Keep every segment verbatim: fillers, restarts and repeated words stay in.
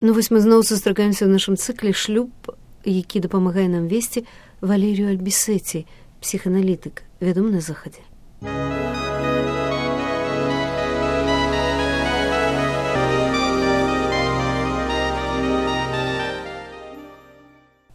Ну вось мы зноў сустракаемся ў нашым цыкле «Шлюб», які дапамагае нам весці Валерію Альбісеці, псіханалітык, вядомы на захадзе.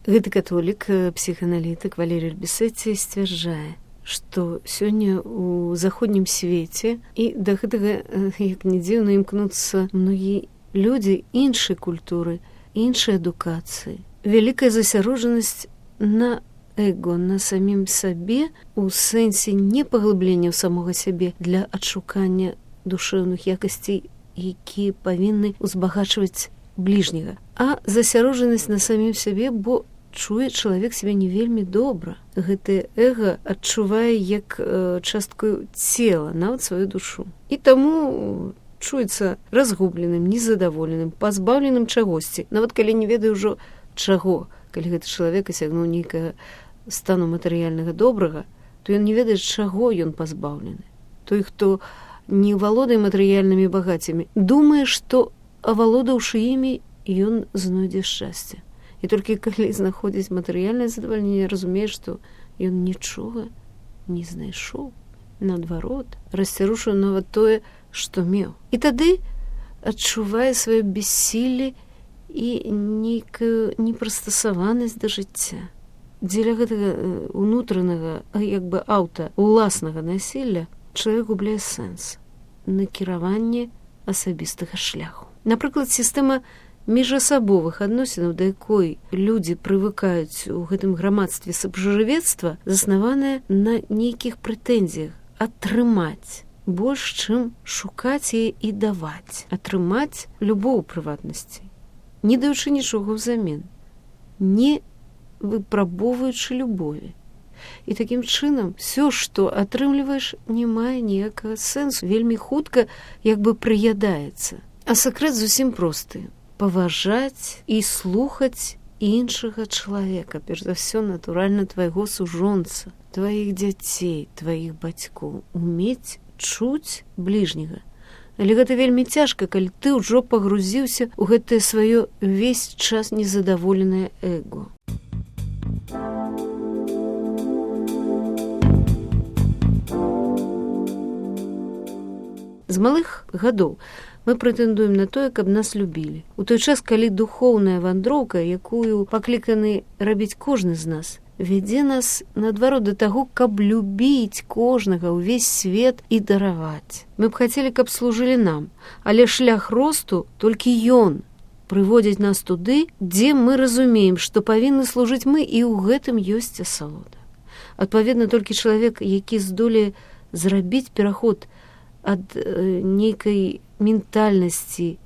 Гэты католік, псіханалітык Валерій Альбісеці сцвярджае, што сёння ў заходнім свеце і да гэтага, як не дзіўна, імкнуцца многія людзі іншай культуры, іншай адукацыі. Вялікая засяроджанасць на эго, на самім сабе, у сэнсе не паглыблення ў самога сябе для адшукання душэўных якасцей, якія павінны ўзбагачваць бліжняга, а засяроджанасць на самім сябе, бо чуе чалавек сябе не вельмі добра. Гэтае эго адчувае як э, частку цела, нават сваю душу. І таму чуецца разгубленым, незадаволеным, пазбаўленым чагосьці. Нават калі не ведае ўжо чаго, калі гэты чалавек асягнуў нейкага стану матэрыяльнага добрага, то ён не ведае, чаго ён пазбаўлены. Той, хто не валодае матэрыяльнымі багаццямі, думае, што, авалодаўшы імі, ён знойдзе шчасце. І толькі калі знаходзіць матэрыяльнае задавальненне, разумее, што ён нічога не знайшоў. Наадварот, расцярушыў нават тое, што меў. І тады адчувае сваё бессілле і нейкую непрыстасаванасць да жыцця. Дзеля гэтага унутранага, як бы аўта, уласнага насілля чалавек губляе сэнс, накіраванне асабістага шляху. Напрыклад, сістэма міжасабовых адносінаў, да якой людзі прывыкаюць у гэтым грамадстве сабжывецтва, заснаваная на нейкіх прэтэнзіях атрымаць больш, чым шукаць яе і даваць, атрымаць любоў у прыватнасці, не даючы нічога ўзамен, не выпрабоўваючы любові. І такім чынам все, што атрымліваеш, не мае ніякага сэнсу, вельмі хутка як бы прыядаецца. А сакрэт зусім просты: паважаць і слухаць іншага чалавека, перш за ўсё, натуральна, твайго сужонца, тваіх дзяцей, тваіх бацькоў, умець чуць бліжняга. Але гэта вельмі цяжка, калі ты ўжо пагрузіўся ў гэтае сваё ўвесь час незадаволенае эго. З малых гадоў мы прэтэндуем на тое, каб нас любілі. У той час, калі духоўная вандроўка, якую пакліканы рабіць кожны з нас, вядзе нас, наадварот, да таго, каб любіць кожнага, ўвесь свет і дараваць. Мы б хацелі, каб служылі нам, але шлях росту толькі ён прыводзіць нас туды, дзе мы разумеем, што павінны служыць мы, і ў гэтым ёсць асалода. Адпаведна, толькі чалавек, які здолее зрабіць пераход ад э, нейкай ментальнасці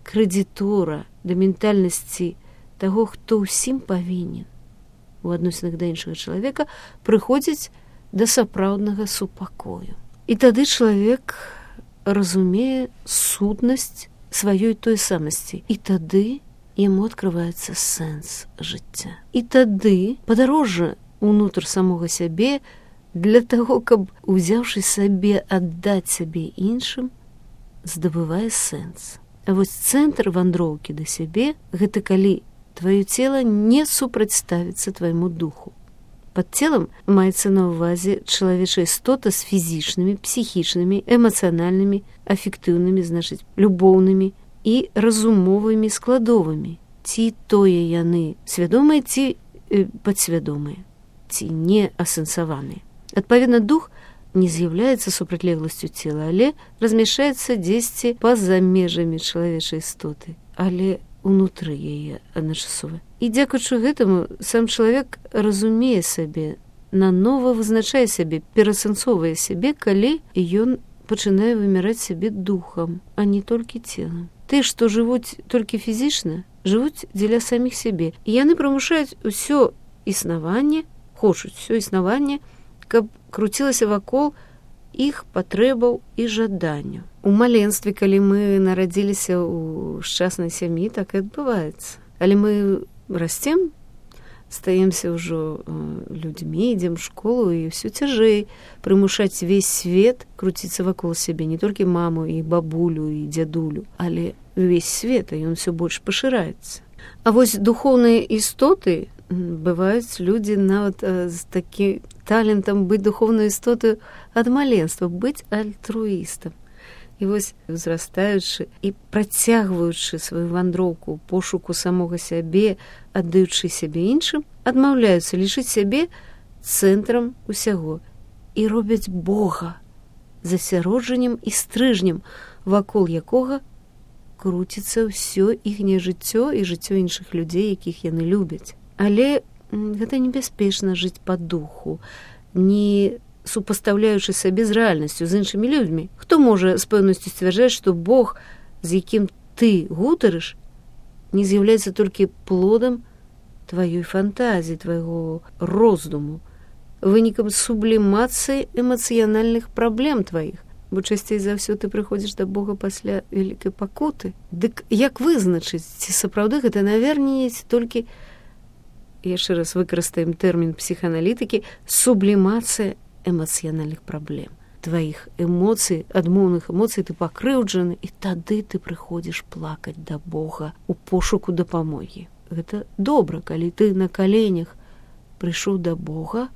крэдітора да ментальнасці таго, хто ўсім павінен у адносінах да іншага чалавека, прыходзіць да сапраўднага супакою. І тады чалавек разумее сутнасць сваёй той самасці. І тады яму адкрываецца сэнс жыцця. І тады падарожжа ўнутр самога сябе для таго, каб, узяўшы сабе, аддаць сабе іншым, здабывае сэнс. А вось цэнтр вандроўкі да сябе – гэта калі твоё цела не супрацьставіцца твайму духу. Пад целам маецца на ўвазе чалавечая істота з фізічнымі, псіхічнымі, эмацыянальнымі, афектыўнымі, значыць, любоўнымі і разумовымі складовымі. Ці тое яны свядомыя, ці э, падсвядомыя, ці не асэнсаваныя. Адпаведна, дух не з'яўляецца супрацьлегласцю цела, але размяшчаецца дзесьці па-за межамі чалавечай істоты, але унутры яе адначасова. І дзякуючы гэтаму сам чалавек разумее сабе, нанова вызначае сябе, перасэнсоўвае сябе, калі ён пачынае вымяраць сябе духам, а не толькі целам. Ты, што жывуць толькі фізічна, жывуць дзеля саміх сябе. І яны прымушаюць усё існаванне, хочуць усё існаванне, каб круцілася вакол іх патрэбаў і жаданняў. У маленстве, калі мы нарадзіліся ў шчаснай сям'і, так і адбываецца. Але мы расцем, стаемся ўжо людзьмі, ідзем у школу, і ўсё цяжэй прымушаць увесь свет круціцца вакол сябе, не толькі маму і бабулю і дзядулю, але увесь свет, а ён усё больш пашыраецца. А вось духоўныя істоты, бываюць людзі нават з такім талентам быць духоўнай істотаю ад маленства, быць альтруістам. І вось, узрастаючы і працягваючы сваю вандроўку, пошуку самога сябе, аддаючы сябе іншым, адмаўляюцца лічыць сябе цэнтрам усяго і робяць Бога засяроджаннем і стрыжнем, вакол якога круціцца ўсё іхняе жыццё і жыццё іншых людзей, якіх яны любяць. Але гэта небяспечна жыць па духу, не супастаўляючы сабе з рэальнасцю, з іншымі людзьмі. Хто можа з пэўнасцю сцвярджаць, што Бог, з якім ты гутарыш, не з'яўляецца толькі плодам тваёй фантазіі, твайго роздуму, вынікам сублімацыі эмацыянальных праблем тваіх, бо часцей за ўсё ты прыходзіш да Бога пасля вялікай пакуты. Дык як вызначыць, ці сапраўды гэта навернець толькі, яшчэ раз выкарыстаем тэрмін псіхааналітыкі, сублімацыя эмацыянальных праблем. Тваіх эмоцый, адмоўных эмоцый ты пакрыўджаны, і тады ты прыходзіш плакаць да Бога у пошуку дапамогі. Гэта добра, калі ты на каленях прыйшоў да Бога,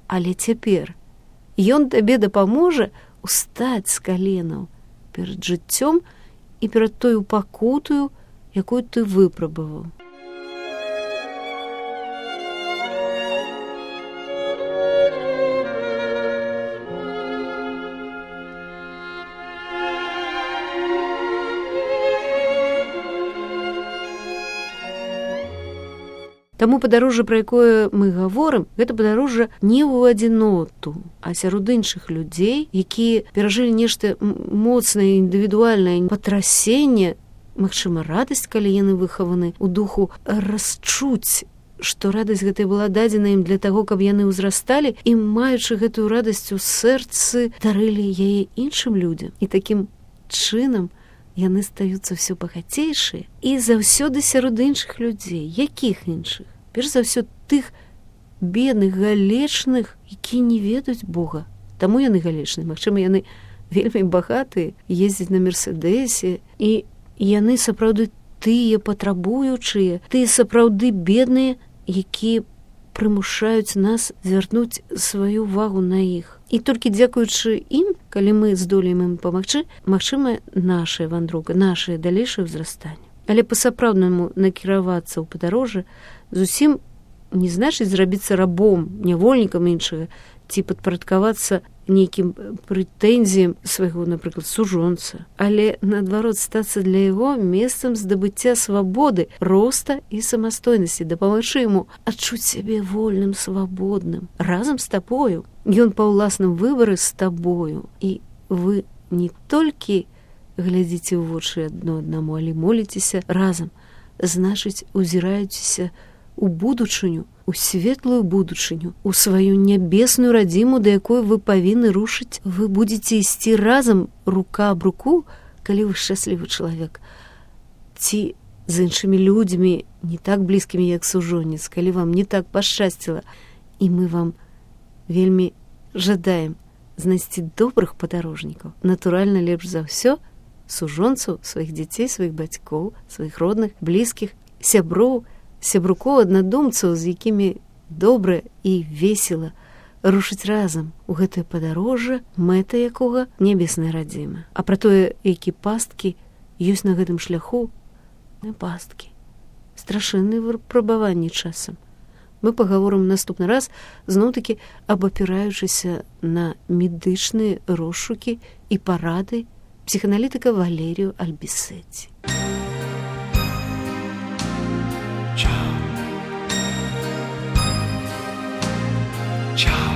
але цяпер Ён табе дапаможа устаць з каленаў перад жыццём і перад тою пакутаю, якую ты выпрабаваў. Таму падарожжа, пра якое мы гаворым, гэта падарожжа не ў адзіноту, а сярод іншых людзей, якія перажылі нешта моцнае, індывідуальнае патрасенне, магчыма, радасць, калі яны выхаваны ў духу, расчуць, што радасць гэтая была дадзена ім для таго, каб яны ўзрасталі, і, маючы гэтую радасць у сэрцы, дарылі яе іншым людзям. І такім чынам яны стаюцца ўсё багацейшыя і заўсёды сярод іншых людзей. Якіх іншых? Перш за ўсё тых бедных, галечных, якія не ведаюць Бога. Таму яны галечныя. Магчыма, яны вельмі багатыя, ездзяць на мерседесе, і яны сапраўды тыя патрабуючыя, тыя сапраўды бедныя, якія прымушаюць нас звярнуць сваю увагу на іх. І толькі дзякуючы ім, калі мы здолеем ім памагчы, магчыма, нашая вандроўка, нашае далейшае ўзрастанне. Але па-сапраўднаму накіравацца ў падарожжа зусім не значыць зрабіцца рабом, нявольнікам іншага, ці падпарадкавацца нейкім прэтэнзіям свайго, напрыклад, сужонца, але, наадварот, стацца для яго месцам здабыцця свабоды, роста і самастойнасці, дапамагчы яму адчуць сябе вольным, свабодным, разам з табою. Ён па ўласным выбары з табою, і вы не толькі глядзіце ў вочы адно аднаму, але моліцеся разам, значыць, узіраецеся у будучыню, у светлую будучыню, у сваю нябесную радзіму, да якой вы павінны рушыць. Вы будзеце ісці разам, рука аб руку, калі вы шчаслівы чалавек. Ці з іншымі людзьмі, не так блізкімі, як сужонец, калі вам не так пашчасціла. І мы вам вельмі жадаем знайсці добрых падарожнікаў. Натуральна, лепш за ўсё сужонцаў, сваіх дзяцей, сваіх бацькоў, сваіх родных, блізкіх, сяброў, сябрукоў, аднадумцаў, з якімі добра і весела рушыць разам у гэтае падарожжа, мэта якога нябесная радзіма. А пра тое, які пасткі ёсць на гэтым шляху, не пасткі, страшэнныя выпрабаванні часам. Мы пагаворым наступны раз, зноў-такі абапіраючыся на медычныя розшукі і парады псіхааналітыка Валерію Альбісеці. Ciao.